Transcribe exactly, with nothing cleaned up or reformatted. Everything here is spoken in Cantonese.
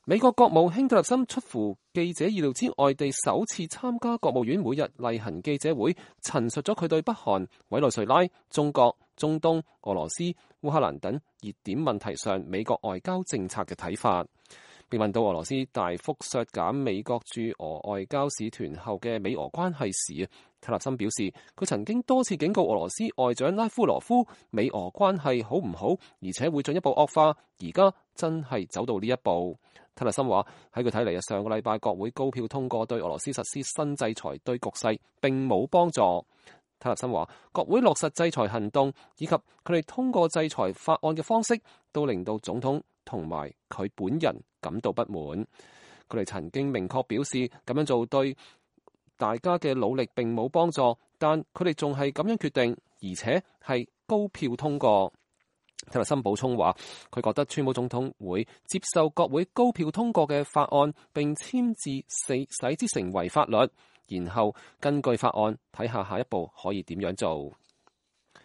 美國國務卿蒂勒森出乎記者意料之外地首次參加國務院每日例行記者會，陳述咗佢對北韓、委內瑞拉、中國、中東、俄羅斯、烏克蘭等熱點問題上美國外交政策嘅睇法。被問到俄羅斯大幅削減美國駐俄外交使團後嘅美俄關係時，蒂勒森表示佢曾經多次警告俄羅斯外長拉夫羅夫美俄關係好唔好，而且會進一步惡化。而家真係走到呢一步。蒂勒森話喺佢睇嚟，上個禮拜國會高票通過對俄羅斯實施新制裁，對局勢並冇幫助。蒂勒森話國會落實制裁行動以及佢哋通過制裁法案嘅方式，都令到總統同埋佢本人感到不滿。佢哋曾經明確表示咁樣做對大家嘅努力並冇幫助，但佢哋仲係咁樣決定，而且係高票通過。蒂勒森補充話，佢覺得川普總統會接受國會高票通過嘅法案，並簽字使使之成為法律，然後根據法案睇下下一步可以點樣做。